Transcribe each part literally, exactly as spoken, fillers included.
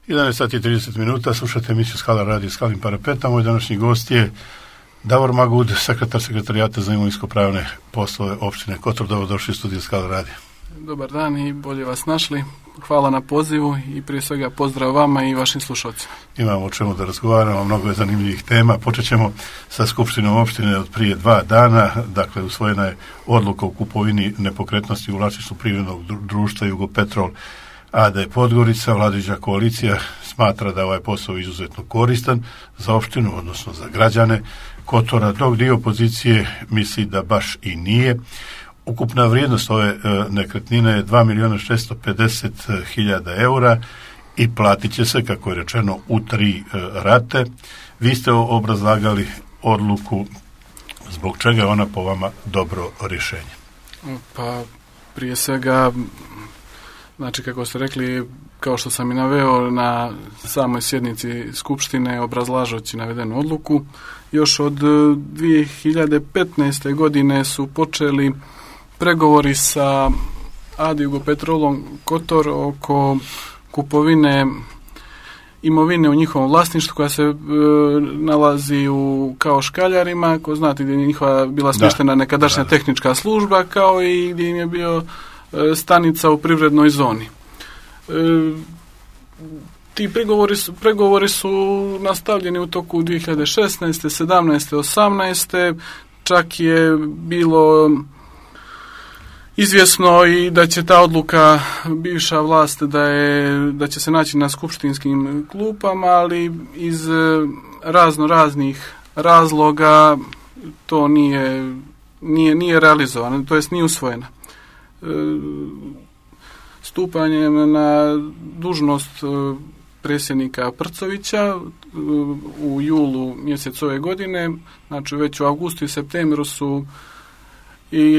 jedanaest sati i trideset minuta, slušate emisiju Skala radio Skalim parapeta. Moj današnji gost je Davor Magud, sekretar sekretarijata za imovinsko-pravne poslove opštine Kotor. Dobrodošli u studiju Skala radio. Dobar dan i bolje vas našli. Hvala na pozivu i prije svega pozdrav vama i vašim slušalcima. Imamo o čemu da razgovaramo, mnogo je zanimljivih tema. Počet ćemo sa Skupštinom opštine od prije dva dana. Dakle, usvojena je odluka o kupovini nepokretnosti u vlasništvu privrednog društva Jugopetrol a d Podgorica. Vladajuća koalicija smatra da ovaj posao izuzetno koristan za opštinu, odnosno za građane Kotora, dok dio opozicije misli da baš i nije. Ukupna vrijednost ove e, nekretnine je dva milijuna šesto pedeset hiljada eura i platit će se, kako je rečeno, u tri e, rate. Vi ste obrazlagali odluku, zbog čega je ona po vama dobro rješenje? Pa prije svega, znači kako ste rekli, kao što sam i naveo na samoj sjednici Skupštine obrazlažući navedenu odluku, još od dvije hiljade petnaeste. godine su počeli pregovori sa A D Jugopetrolom Kotor oko kupovine imovine u njihovom vlasništvu koja se e, nalazi u kao Škaljarima, ko znate gdje je njihova bila smještena nekadašnja da. tehnička služba, kao i gdje im je bio e, stanica u privrednoj zoni. E, ti pregovori su, pregovori su nastavljeni u toku dvije hiljade šesnaeste, sedamnaeste, osamnaeste. Čak je bilo izvjesno i da će ta odluka bivša vlast da je da će se naći na skupštinskim klupama, ali iz razno raznih razloga to nije nije nije realizovano, to jest nije usvojeno. E, stupanjem na dužnost predsjednika Prcovića u julu mjesec ove godine, znači već u avgustu i septembru su i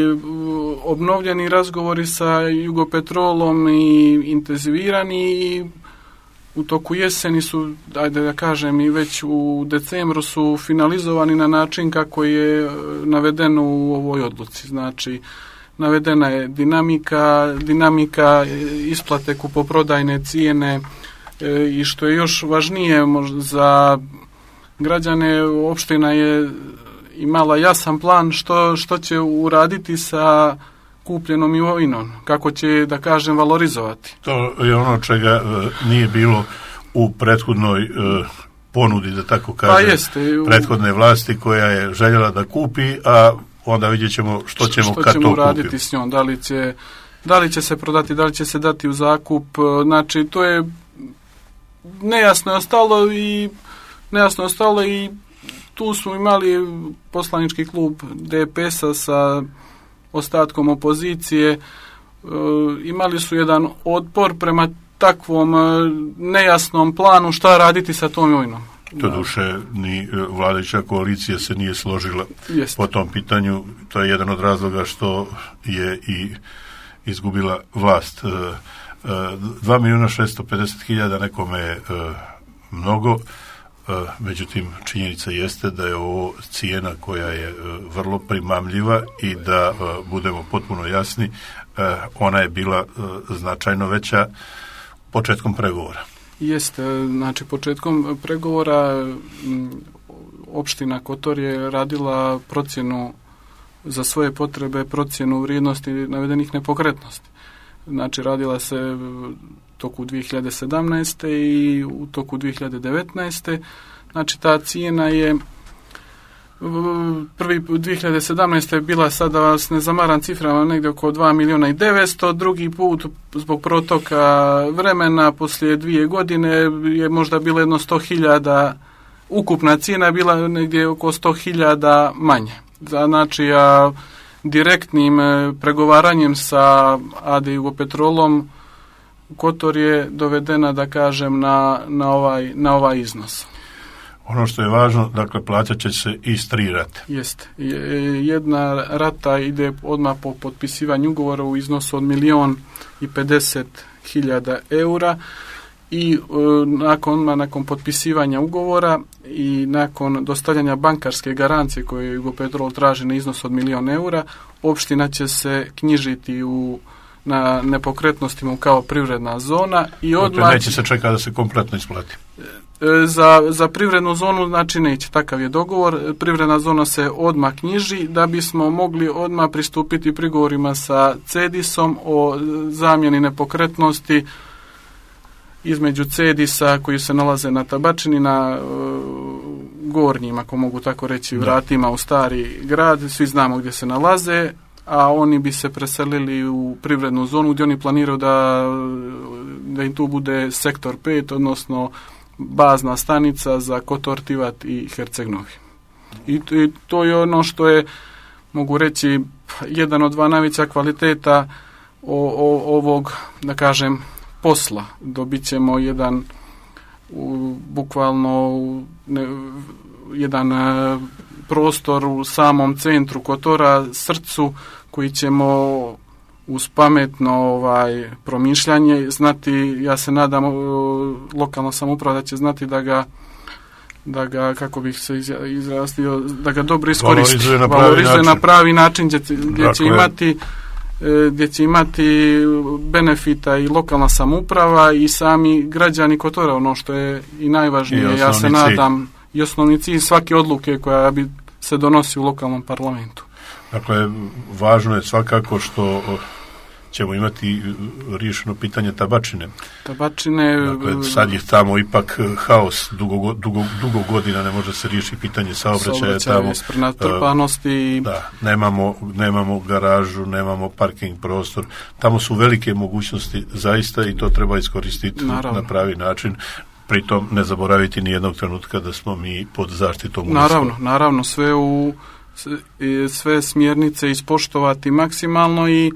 obnovljeni razgovori sa Jugopetrolom i intenzivirani i u toku jeseni su, ajde da kažem, i već u decembru su finalizovani na način kako je navedeno u ovoj odluci. Znači, navedena je dinamika, dinamika isplate kupoprodajne cijene e, i što je još važnije možda za građane, opština je imala jasan plan što, što će uraditi sa kupljenom imovinom, kako će, da kažem, valorizovati. To je ono čega e, nije bilo u prethodnoj e, ponudi, da tako kažem, pa jeste, u... prethodne vlasti koja je željela da kupi, a onda vidjet ćemo što ćemo što kad ćemo to uraditi kupimo. S njom, da li će, da li će se prodati, da li će se dati u zakup, znači to je nejasno je ostalo i nejasno je ostalo i tu smo imali poslanički klub D P S-a sa ostatkom opozicije, e, imali su jedan otpor prema takvom e, nejasnom planu šta raditi sa tom imovinom. Doduše, ni vladajuća koalicija se nije složila Jest. po tom pitanju. To je jedan od razloga što je i izgubila vlast. E, e, dva milijuna šesto pedeset hiljada nekome je e, mnogo. Međutim, činjenica jeste da je ovo cijena koja je vrlo primamljiva i da budemo potpuno jasni, ona je bila značajno veća početkom pregovora. Jeste, znači početkom pregovora opština Kotor je radila procjenu za svoje potrebe, procjenu vrijednosti navedenih nepokretnosti. Znači radila se toku dvije hiljade sedamnaeste. i u toku dvije hiljade devetnaeste. Znači ta cijena je prvi dvije hiljade sedamnaeste. je bila, sada vas ne zamaram ciframa, negdje oko dva milijuna i devetsto, drugi put zbog protoka vremena poslije dvije godine je možda bilo jedno sto hiljada, ukupna cijena je bila negdje oko sto hiljada manje. Znači, a direktnim pregovaranjem sa A D Jugopetrolom Kotor je dovedena, da kažem, na, na, ovaj, na ovaj iznos. Ono što je važno, dakle, plaćat će se iz tri rate. Jeste. Jedna rata ide odmah po potpisivanju ugovora u iznosu od milijon i pedeset hiljada eura i e, nakon, nakon potpisivanja ugovora i nakon dostavljanja bankarske garancije koje Jugopetrol traži na iznos od milijon eura, opština će se knjižiti u na nepokretnostima kao privredna zona i odmah... Dakle, neće se čekati da se kompletno isplati. Za, za privrednu zonu, znači neće, takav je dogovor. Privredna zona se odmah knjiži da bismo mogli odmah pristupiti prigovorima sa Cedisom o zamjeni nepokretnosti između Cedisa koji se nalaze na Tabačini, na uh, gornjim, ako mogu tako reći, vratima u stari grad, svi znamo gdje se nalaze, a oni bi se preselili u privrednu zonu gdje oni planiraju da, da im tu bude sektor pet, odnosno bazna stanica za Kotor, Tivat i Herceg Novi. I, I to je ono što je, mogu reći, jedan od dva najveća kvaliteta o, o, ovog, da kažem, posla. Dobit ćemo jedan u, bukvalno ne, jedan e, prostor u samom centru Kotora, srcu, koji ćemo uz pametno ovaj, promišljanje znati, ja se nadam, lokalna samouprava da će znati da ga, da ga, kako bih se izrastio, da ga dobro iskoristi, valorizuje na pravi valorizuje način, na pravi način gdje, gdje dakle, će imati gdje će imati benefita i lokalna samouprava i sami građani Kotora, ono što je i najvažnije, I ja se nadam, i osnovni cilj svake odluke koja bi se donosi u lokalnom parlamentu. Dakle, važno je svakako što ćemo imati riješeno pitanje Tabačine. Tabačine... Dakle, sad je tamo ipak haos, dugo, dugo, dugo godina ne može se riješiti pitanje saobraćaja. Tamo, prenatrpanosti. Da, nemamo, nemamo garažu, nemamo parking prostor. Tamo su velike mogućnosti zaista i to treba iskoristiti Naravno. na pravi način. Pritom ne zaboraviti ni jednog trenutka da smo mi pod zaštitom. Naravno, naravno, sve u sve smjernice ispoštovati maksimalno i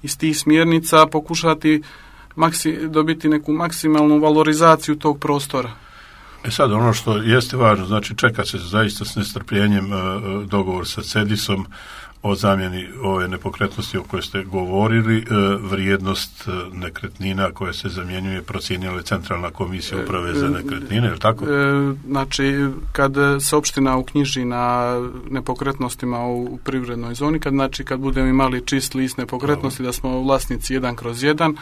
iz tih smjernica pokušati maksi, dobiti neku maksimalnu valorizaciju tog prostora. E sad, ono što jeste važno, znači čeka se zaista s nestrpljenjem uh, dogovor sa Cedisom o zamjeni ove nepokretnosti o kojoj ste govorili. Uh, vrijednost uh, nekretnina koja se zamjenjuje procijenila je Centralna komisija uprave za nekretnine, je li tako? E, znači, kad se opština uknjiži na nepokretnostima u privrednoj zoni, kad, znači, kad budemo imali čist list nepokretnosti, da smo vlasnici jedan kroz jedan,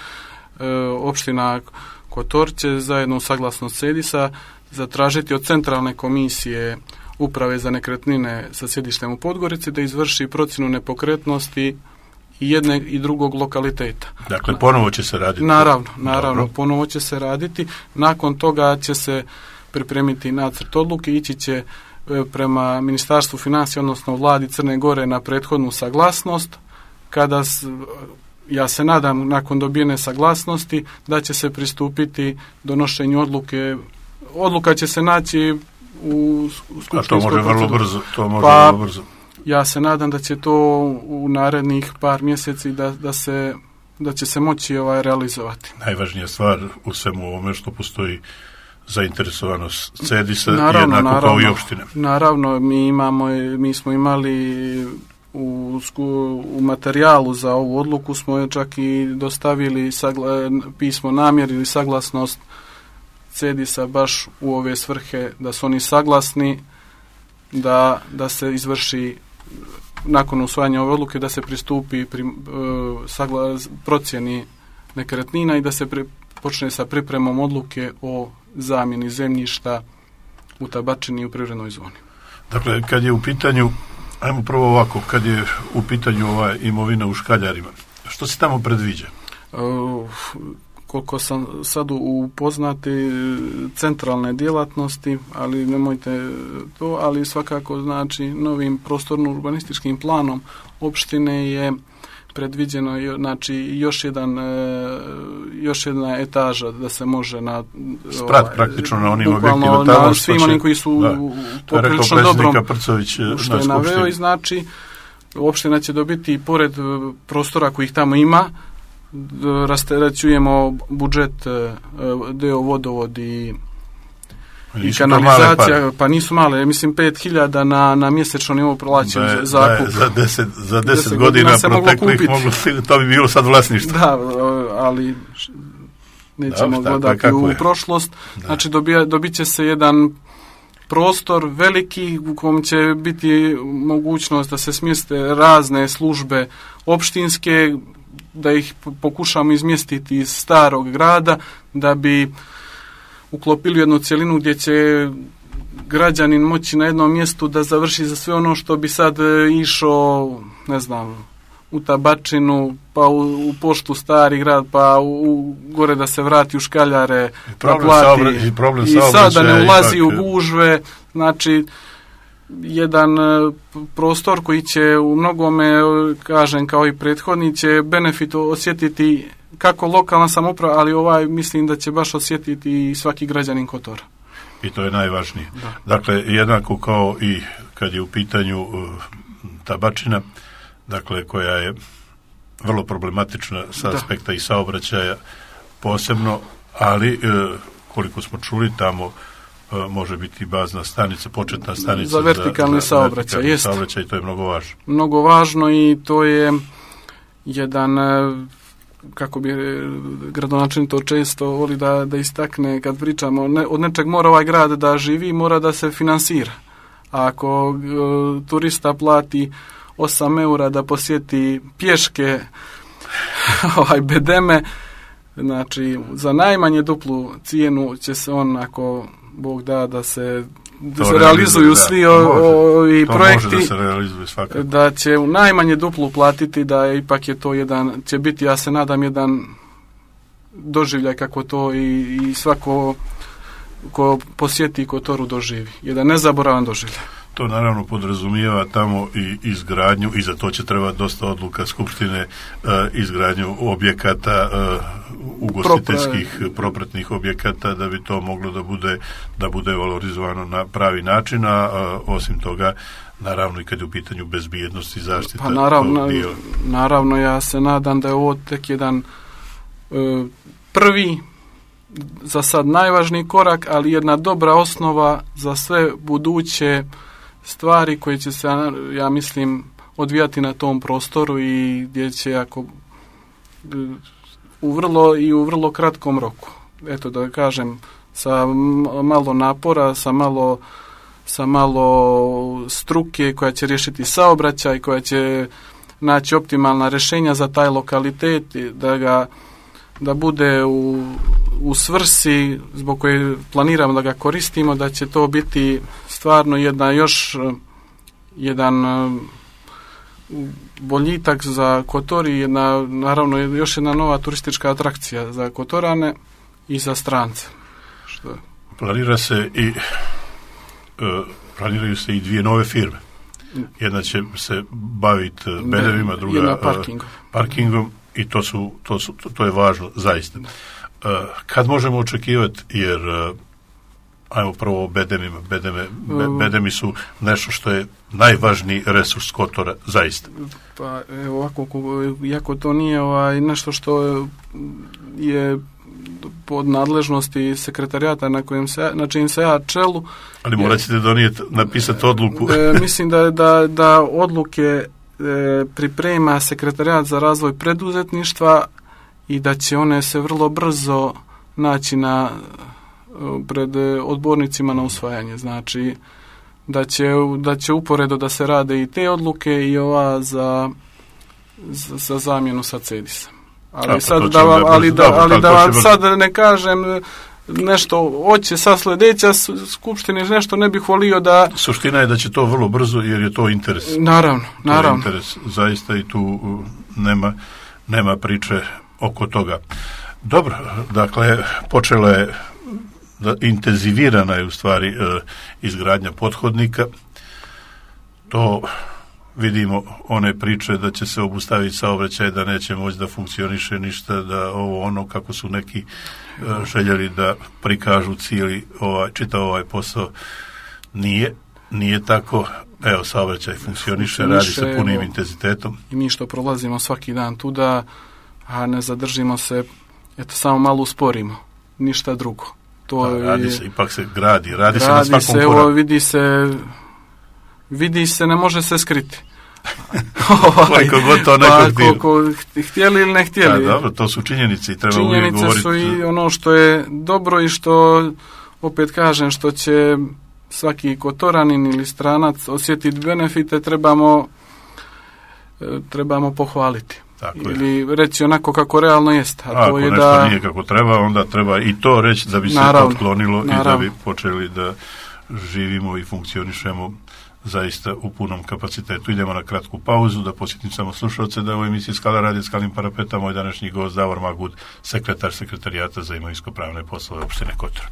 e, opština Kotor će zajedno u saglasnost Cedisa zatražiti od Centralne komisije uprave za nekretnine sa sjedištem u Podgorici da izvrši procjenu nepokretnosti i jedne i drugog lokaliteta. Dakle, ponovo će se raditi. Naravno, naravno, Dobro. ponovo će se raditi. Nakon toga će se pripremiti nacrt odluke, ići će prema Ministarstvu financija, odnosno Vladi Crne Gore na prethodnu saglasnost. Kada, ja se nadam, nakon dobijene saglasnosti, da će se pristupiti donošenju odluke. Odluka će se naći u skupštinskoj A to može vrlo brzo, to može pa, vrlo brzo. Ja se nadam da će to u narednih par mjeseci da, da se da će se moći ovaj realizovati. Najvažnija stvar u svemu ovome što postoji zainteresovanost Cedisa, naravno, jednako naravno, kao i opštine. Naravno, mi imamo, mi smo imali u, u materijalu za ovu odluku smo čak i dostavili sagla, pismo namjeri ili saglasnost Cedisa baš u ove svrhe, da su oni saglasni da, da se izvrši nakon usvajanja ove odluke, da se pristupi pri, uh, sagla, procjeni nekretnina i da se pri, počne sa pripremom odluke o zamjeni zemljišta u Tabačini i u privrednoj zoni. Dakle, kad je u pitanju, ajmo prvo ovako, kad je u pitanju ova imovina u Škaljarima, što se tamo predviđa? Uh, koliko sam sad upoznati centralne djelatnosti, ali nemojte to, ali svakako znači novim prostorno-urbanističkim planom opštine je predviđeno znači još jedan još jedna etaža da se može na sprat ovaj, praktično na onim objektima tamo, na svim onim koji su da, poprilično dobrom Prcović, što je naveo i znači opština će dobiti pored prostora kojih tamo ima, rasterećujemo budžet deo vodovod i, i kanalizacija, pa nisu male, mislim pet hiljada na, na mjesečno nivou plaćen zakup. Za deset, za deset godina, godina proteklih moglo, to bi bilo sad vlasništvo. Da, ali nećemo da, gledati u je. prošlost. Da. Znači dobija, dobit će se jedan prostor veliki u kojem će biti mogućnost da se smjeste razne službe opštinske, da ih pokušamo izmjestiti iz starog grada, da bi uklopili jednu cjelinu gdje će građanin moći na jednom mjestu da završi za sve ono što bi sad išao, ne znam, u Tabačinu, pa u, u poštu Stari grad, pa u, u gore da se vrati u Škaljare, da plati. I, problem I sad da ne ulazi ipak u gužve, znači jedan prostor koji će u mnogome, kažem, kao i prethodni, će benefit osjetiti kako lokalna samouprava, ali ovaj mislim da će baš osjetiti i svaki građanin Kotora. I to je najvažnije. Da. Dakle, jednako kao i kad je u pitanju uh, Tabačina, dakle, koja je vrlo problematična sa da. aspekta i saobraćaja posebno, ali uh, koliko smo čuli, tamo uh, može biti bazna stanica, početna stanica za vertikalni za, saobraćaj. Vertikalni saobraćaj, i to je mnogo važno. Mnogo važno i to je jedan, kako bi gradonačelnik to često voli da, da istakne kad pričamo, ne, od nečeg mora ovaj grad da živi, mora da se finansira. A ako uh, turista plati osam eura da posjeti pješke ovaj bedeme, znači za najmanje duplu cijenu će se on, ako Bog da, da se da se realizuju da, svi ovi projekti, da, se realizuje svakako. Da će u najmanje duplu platiti, da ipak je to jedan, će biti, ja se nadam, jedan doživljaj kako to i, i svako ko posjeti Kotoru doživi. Jedan nezaboravan doživljaj. To naravno podrazumijeva tamo i izgradnju, i za to će trebati dosta odluka Skupštine, uh, izgradnju objekata, uh, ugostiteljskih Propre... propratnih objekata, da bi to moglo da bude, da bude valorizovano na pravi način, a uh, osim toga, naravno i kad je u pitanju bezbjednost i zaštita. Pa naravno, bio... naravno, ja se nadam da je ovo tek jedan uh, prvi, za sad najvažniji korak, ali jedna dobra osnova za sve buduće stvari koje će se, ja mislim, odvijati na tom prostoru i gdje će ako u vrlo i u vrlo kratkom roku. Eto da kažem, sa malo napora, sa malo sa malo struke koja će riješiti saobraćaj, koja će naći optimalna rješenja za taj lokalitet, da ga da bude u, u svrsi zbog koje planiramo da ga koristimo, da će to biti stvarno jedna još jedan boljitak za Kotor i jedna, naravno još jedna nova turistička atrakcija za Kotorane i za strance. Što? Planira se i uh, planiraju se i dvije nove firme. Jedna će se baviti bedevima, druga jedna parkingom. Uh, parkingom. I to su, to su, to je važno, zaista. Uh, kad možemo očekivati, jer uh, ajmo prvo o bedemima. Bedeme, be, bedemi su nešto što je najvažniji resurs Kotora, zaista. Pa evo ovako, iako to nije ovaj, nešto što je pod nadležnosti sekretarijata na kojem se, na čijim se ja čelu. Ali morat ćete donijeti, napisati odluku. E, mislim da, da, da odluke priprema sekretarijat za razvoj preduzetništva i da će one se vrlo brzo naći na pred odbornicima na usvajanje. Znači da će, da će uporedo da se rade i te odluke i ova za, za, za zamjenu sa Cedisa. Ali A, sad da vam, ali da, ali da vam sad ne kažem nešto hoće sa sljedeća skupštine, nešto ne bih volio da... Suština je da će to vrlo brzo, jer je to interes. Naravno, naravno. To je interes, zaista, i tu nema, nema priče oko toga. Dobro, dakle, počela je, da, intenzivirana je u stvari eh, izgradnja pothodnika. To vidimo, one priče da će se obustaviti saobraćaj, da neće moći da funkcioniše ništa, da ovo ono kako su neki uh, željeli da prikažu cijeli ovaj, čitav ovaj posao, nije, nije tako. Evo, saobraćaj funkcioniše, radi se punim evo, intenzitetom. I mi što prolazimo svaki dan tuda, a ne zadržimo se, eto, samo malo usporimo, ništa drugo. To a, radi je, se, ipak se gradi, radi, radi se na svakom se, koraku. Evo, vidi se vidi se, ne može se skriti. Koliko god to nekog pa, koliko htjeli ili ne htjeli. Da, dobro, to su činjenice i treba činjenice uvijek govoriti. Su i ono što je dobro i što, opet kažem, što će svaki Kotoranin ili stranac osjetiti benefite, trebamo trebamo pohvaliti. Tako ili je. reći onako kako realno jest. A Ako to je nešto da... nije kako treba, onda treba i to reći da bi se naravno, otklonilo naravno. i da bi počeli da živimo i funkcionišemo zaista u punom kapacitetu. Idemo na kratku pauzu, da posjetim samo slušalce da u emisiji Skala radio Skalim parapeta moj današnji gost Davor Magud, sekretar Sekretarijata za imovinsko-pravne poslove opštine Kotor.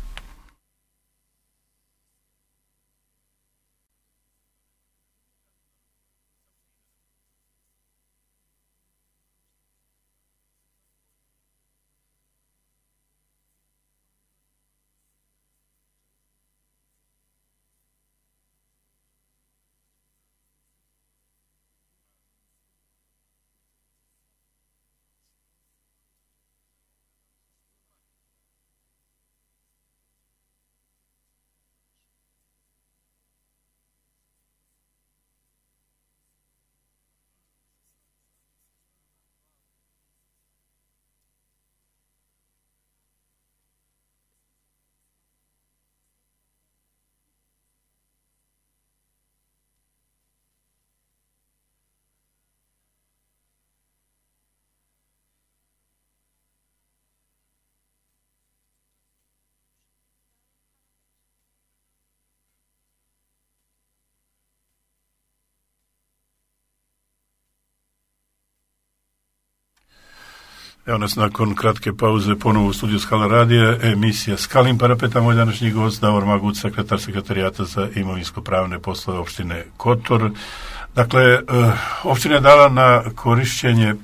Evo nas nakon kratke pauze ponovo u studiju Skala radija, emisija Skalim parapeta, moj današnji gost Davor Magud, sekretar Sekretarijata za imovinsko-pravne poslove opštine Kotor. Dakle, opština je dala na korišćenje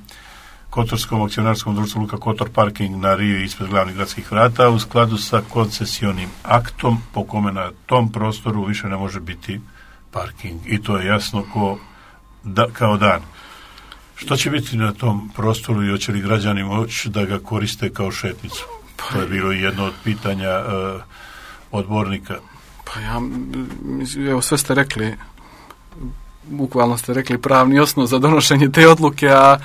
Kotorskom akcionarskom društvu Luka Kotor parking na rivi ispred glavnih gradskih vrata u skladu sa koncesionim aktom po kome na tom prostoru više ne može biti parking. I to je jasno ko, da, kao dan. Što će biti na tom prostoru i hoće li građani moći da ga koriste kao šetnicu? To je bilo jedno od pitanja uh, odbornika. Pa ja, evo sve ste rekli, bukvalno ste rekli pravni osnov za donošenje te odluke, a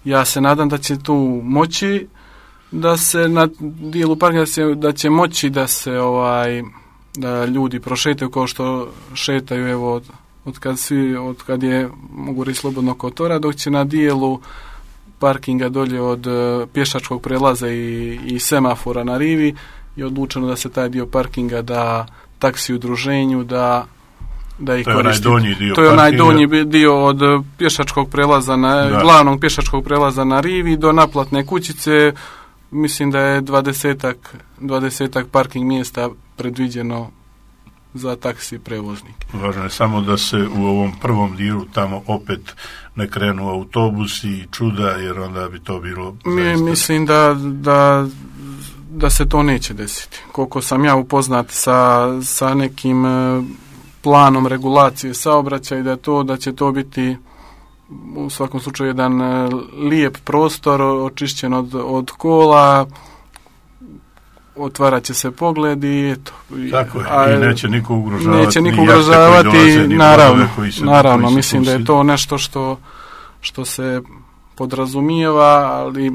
ja se nadam da će tu moći da se na dijelu parka da će, da će moći da se ovaj da ljudi prošetaju kao što šetaju evo od, od kad svi od kad je mogu reći slobodno Kotora, dok će na dijelu parkinga dolje od uh, pješačkog prelaza i, i semafora na rivi je odlučeno da se taj dio parkinga da taksi udruženju da da ih koristi. To je onaj donji dio To je onaj donji dio od pješačkog prelaza na da. glavnog pješačkog prelaza na rivi do naplatne kućice. Mislim da je dvadesetak, dvadesetak parking mjesta predviđeno za taksi prevoznike. Važno je samo da se u ovom prvom dijelu tamo opet ne krenu autobusi i čuda, jer onda bi to bilo Mi, mislim da, da, da se to neće desiti. Koliko sam ja upoznat sa, sa nekim planom regulacije saobraćaja i da to da će to biti u svakom slučaju jedan lijep prostor očišćen od, od kola, otvarat će se pogled i eto. Tako je, a, i neće niko ugrožavati. Neće niko ugrožavati, dolaze, naravno, koji se, naravno koji se mislim da je to nešto što, što se podrazumijeva, ali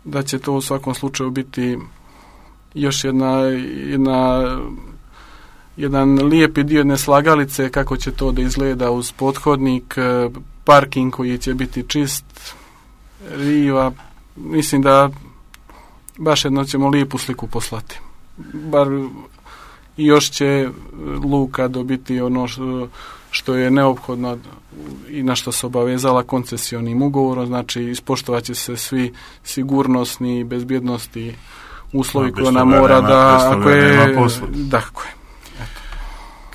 da će to u svakom slučaju biti još jedna, jedna jedan lijepi dio jedne slagalice kako će to da izgleda uz pothodnik, parking koji će biti čist, riva, mislim da baš jedno ćemo lijepu sliku poslati. Bar i još će luka dobiti ono što, što je neophodno i na što se obavezala koncesionim ugovorom, znači ispoštovat će se svi sigurnosni i bezbjednosti uslovi koje ona mora nema, da ako je tako je. Eto.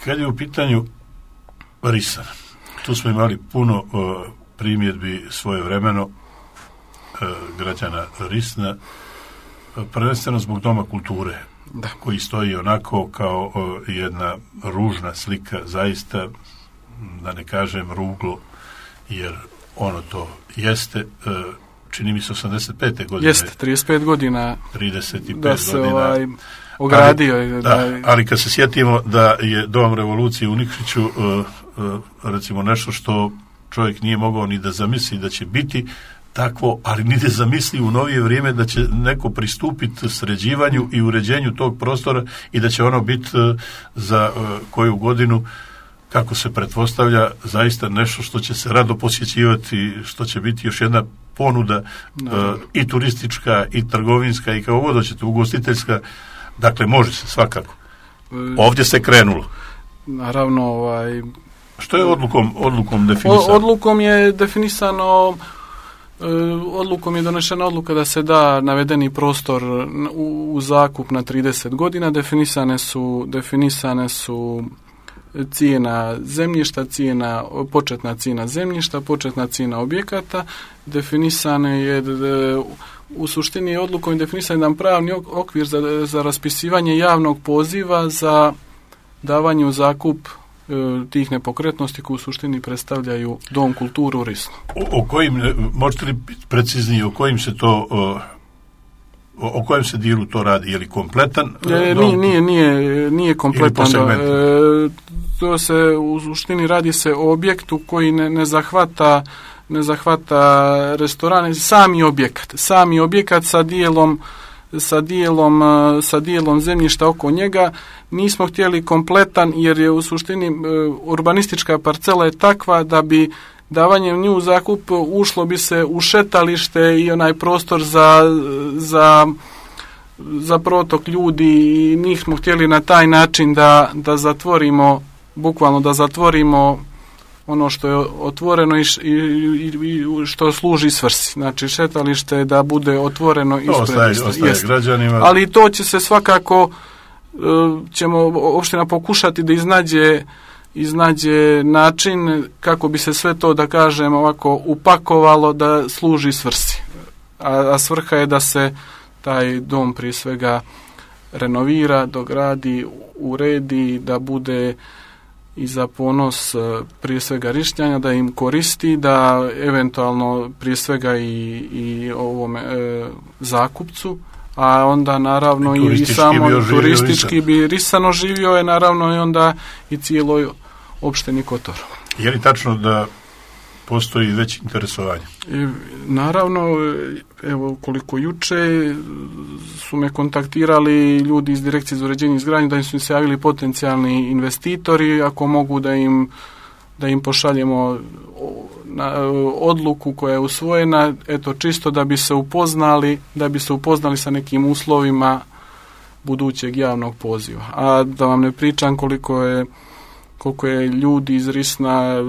Kad je u pitanju Risan, tu smo imali puno uh, primjedbi svojevremeno uh, građana Risna, prvenstveno zbog Doma kulture, da. Koji stoji onako kao o, jedna ružna slika, zaista, da ne kažem ruglo, jer ono to jeste, e, čini mi se osamdeset pete godine. Jeste, trideset pet godina. trideset pet da se godina. Ovaj, ogradio. Ali, da, da, ali kad se sjetimo da je Dom revolucije u Nikšiću, e, e, recimo nešto što čovjek nije mogao ni da zamisli da će biti takvo, ali ni da zamisli u novije vrijeme da će neko pristupiti sređivanju i uređenju tog prostora i da će ono biti za koju godinu kako se pretpostavlja, zaista nešto što će se rado posjećivati, što će biti još jedna ponuda no. uh, i turistička, i trgovinska, i kao god hoćete, ugostiteljska. Dakle, može se svakako. Ovdje se krenulo. Naravno, ovaj... Što je odlukom, odlukom definisano? Odlukom je definisano, odlukom je donešena odluka da se da navedeni prostor u, u zakup na trideset godina. Definisane su, definisane su cijena zemljišta, cijena, početna cijena zemljišta, početna cijena objekata. Definisane je, u suštini je odlukom definisan jedan pravni okvir za, za raspisivanje javnog poziva za davanje u zakup tih nepokretnosti koje u suštini predstavljaju Dom kulture u Risnu. O, o kojim, možete li preciznije, o kojim se to, o, o kojem se dijelu to radi? Je li kompletan? E, nije, nije, nije, nije kompletan. E, to se u suštini radi se o objektu koji ne, ne zahvata ne zahvata restorane, sami objekat, sami objekat sa dijelom sa dijelom, sa dijelom zemljišta oko njega. Nismo htjeli kompletan jer je u suštini urbanistička parcela je takva da bi davanjem nju u zakup ušlo bi se u šetalište i onaj prostor za, za, za protok ljudi i nismo htjeli na taj način da, da zatvorimo, bukvalno da zatvorimo ono što je otvoreno i, i, i što služi svrsi. Znači šetalište da bude otvoreno ispred. Ostaje, ostaje građanima. Ali to će se svakako, ćemo opština pokušati da iznađe, iznađe način kako bi se sve to, da kažem, ovako upakovalo da služi svrsi. A, a svrha je da se taj dom prije svega renovira, dogradi, uredi, da bude i za ponos prije svega Rišnjanja, da im koristi, da eventualno prije svega i, i ovome e, zakupcu, a onda naravno i, i samo bi turistički bi Risano živio je naravno i onda i cijeloj opštini Kotor. Je li tačno da postoji već interesovanje? E, naravno, evo koliko juče su me kontaktirali ljudi iz Direkcije za uređenje i izgradnju da im su se javili potencijalni investitori, ako mogu da im, da im pošaljemo na, odluku koja je usvojena, eto čisto da bi se upoznali, da bi se upoznali sa nekim uslovima budućeg javnog poziva. A da vam ne pričam koliko je, koliko je ljudi iz Risna,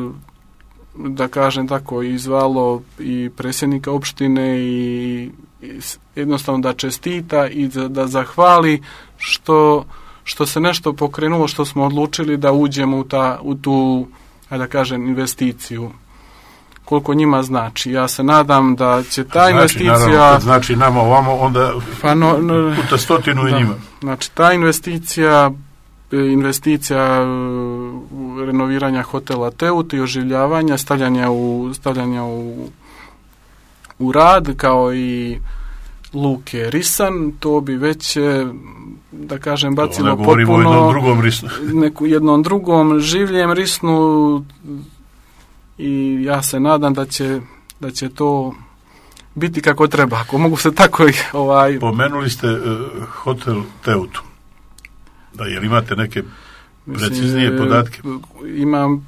da kažem tako, izvalo i predsjednika opštine i, i jednostavno da čestita i da, da zahvali što, što se nešto pokrenulo, što smo odlučili da uđemo u, ta, u tu, da kažem, investiciju. Koliko njima znači. Ja se nadam da će ta znači, investicija... Naravno, znači nama ovamo, onda pa no, no, puta stotinu i njima. Znači, ta investicija investicija renoviranja hotela Teut i oživljavanja, stavljanja u, stavljanja u, u rad, kao i luke Risan, to bi već, da kažem, bacilo potpuno jednom drugom Risnu. neku jednom drugom življem Risnu i ja se nadam da će, da će to biti kako treba, ako mogu se tako i ovaj... Pomenuli ste uh, hotel Teutu. Da, jel imate neke preciznije Mislim, podatke? Imam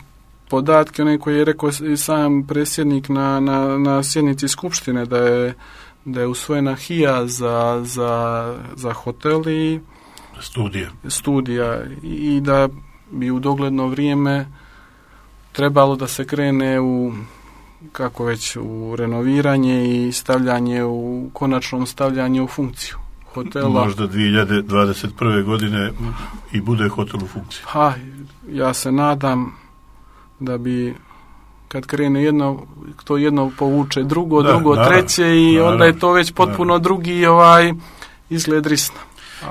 podatke, one koje je rekao i sam predsjednik na, na, na sjednici skupštine, da je, da je usvojena H I A za, za, za hotel i studija. studija i da bi u dogledno vrijeme trebalo da se krene u, kako već, u renoviranje i stavljanje u, konačnom stavljanje u funkciju hotela. Možda dvije hiljade dvadeset prve godine i bude hotel u funkciji. Ha, ja se nadam da bi kad krene jedno, to jedno povuče drugo, da, drugo, naravno, treće i naravno, onda je to već potpuno naravno. drugi ovaj izgled Risna.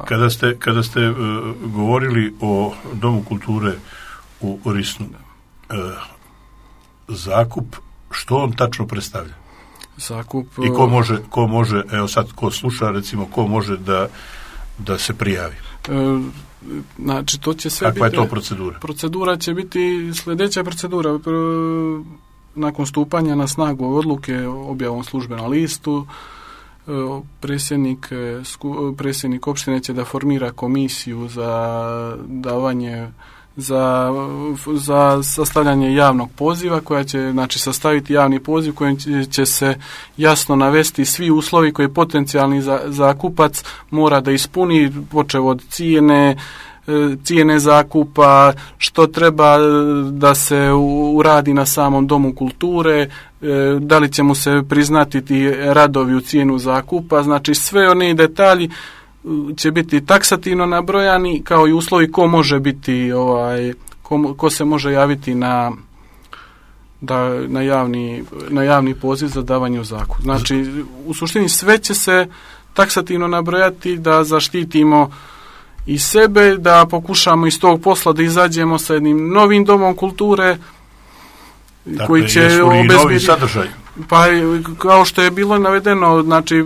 Kada ste, kada ste uh, govorili o Domu kulture u Risnu, uh, zakup, što on tačno predstavlja? Zakup, I ko može, ko može, evo sad ko sluša, recimo, ko može da, da se prijavi? E, znači, to će sve Kakva biti... je to procedura? Procedura će biti sljedeća procedura. Nakon stupanja na snagu odluke objavom službenom listu, predsjednik, predsjednik opštine će da formira komisiju za davanje za, za sastavljanje javnog poziva, koja će, znači, sastaviti javni poziv kojim će, će se jasno navesti svi uslovi koje potencijalni za, zakupac mora da ispuni, počev od cijene, cijene zakupa, što treba da se uradi na samom domu kulture, da li će mu se priznati ti radovi u cijenu zakupa, znači sve oni detalji će biti taksativno nabrojani, kao i uslovi ko može biti, ovaj, ko, ko se može javiti na, da, na, javni, na javni poziv za davanje u zakup. Znači, u suštini sve će se taksativno nabrojati da zaštitimo i sebe, da pokušamo iz tog posla da izađemo sa jednim novim domom kulture, dakle, koji će obezbijediti sadržaj. Pa kao što je bilo navedeno, znači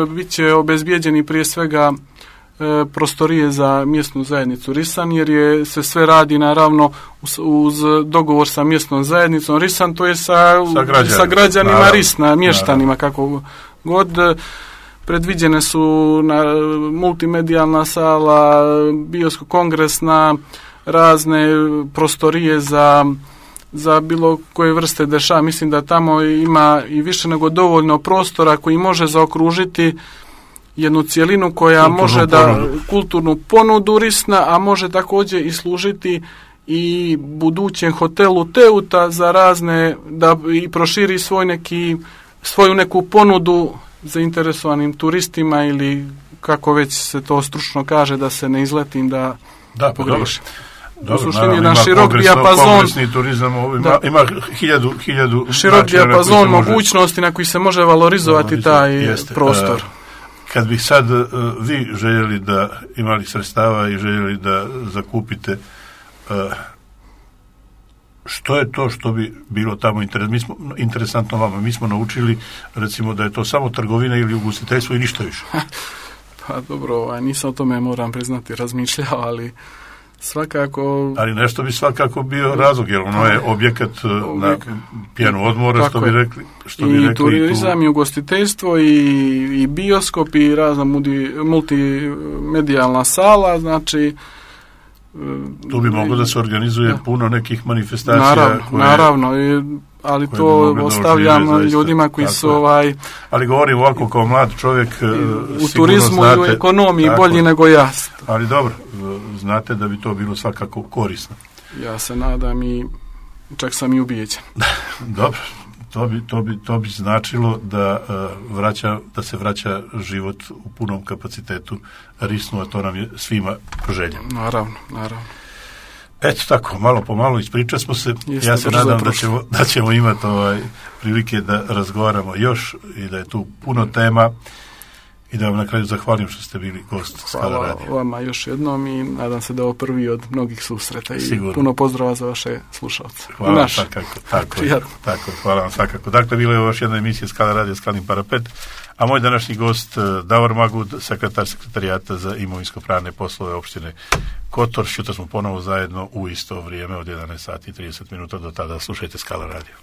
bit će obezbijeđeni prije svega e, prostorije za mjesnu zajednicu Risan, jer je se sve radi naravno uz, uz dogovor sa mjesnom zajednicom Risan, to je sa, sa, građanima, sa građanima naravno, Risna, mještanima, kako god. Predviđene su na multimedijalna sala, biosko-kongresna, razne prostorije za za bilo koje vrste dešava. Mislim da tamo ima i više nego dovoljno prostora koji može zaokružiti jednu cijelinu koja kulturnu može da ponudu. kulturnu ponudu Risna, a može također i služiti i budućem hotelu Teuta za razne, da i proširi svoj neki, svoju neku ponudu zainteresovanim turistima, ili kako već se to stručno kaže, da se ne izletim da, da pogriješim. Dobro, u suštini jedan širok dijapazon, turizam, ima, ima hiljadu, hiljadu širok dijapazon mogućnosti na koji se može valorizovati no, taj jeste. prostor. Uh, kad bih sad uh, vi željeli da imali sredstava i željeli da zakupite, uh, što je to što bi bilo tamo interes, mi smo, interesantno vama? Mi smo naučili, recimo, da je to samo trgovina ili ugostiteljstvo i ništa više. Pa dobro, nisam o tome, moram priznati, razmišljao, ali svakako... Ali nešto bi svakako bio razlog, jer ono je objekat na pjenu odmora, što bi rekli. Što bi I rekli turizam, tu... i ugostiteljstvo, i, i bioskop, i razna multimedijalna sala, znači... Tu bi moglo da se organizuje da. puno nekih manifestacija. Naravno, koje, naravno i, ali to ostavljam ožive, ljudima koji su ovaj... Ali govorim ovako kao mlad čovjek, u turizmu znate, i u ekonomiji tako, bolji nego ja. Ali dobro, znate da bi to bilo svakako korisno. Ja se nadam i čak sam i ubijeđen. Dobro, to bi, to bi, to bi značilo da, uh, vraća, da se vraća život u punom kapacitetu Risnu, a to nam je svima želja. Naravno, naravno. Eto tako, malo po malo ispričali smo se. Jeste, ja se nadam da ćemo, da ćemo imati ovaj, prilike da razgovaramo još i da je tu puno tema i da vam na kraju zahvalim što ste bili gost Skala radija. Hvala vama još jednom i nadam se da ovo prvi od mnogih susreta i sigurno. Puno pozdrava za vaše slušalce. Hvala vam svakako. Tako je, tako, hvala vam svakako. Dakle, bila je ovo još jedna emisija Skala radija Skalin parapet, a moj današnji gost Davor Magud, sekretar sekretarijata za imovinsko-pravne poslove opštine Kotor. Šutra smo ponovo zajedno u isto vrijeme od jedanaest sati i trideset minuta. Do tada slušajte Skala radio.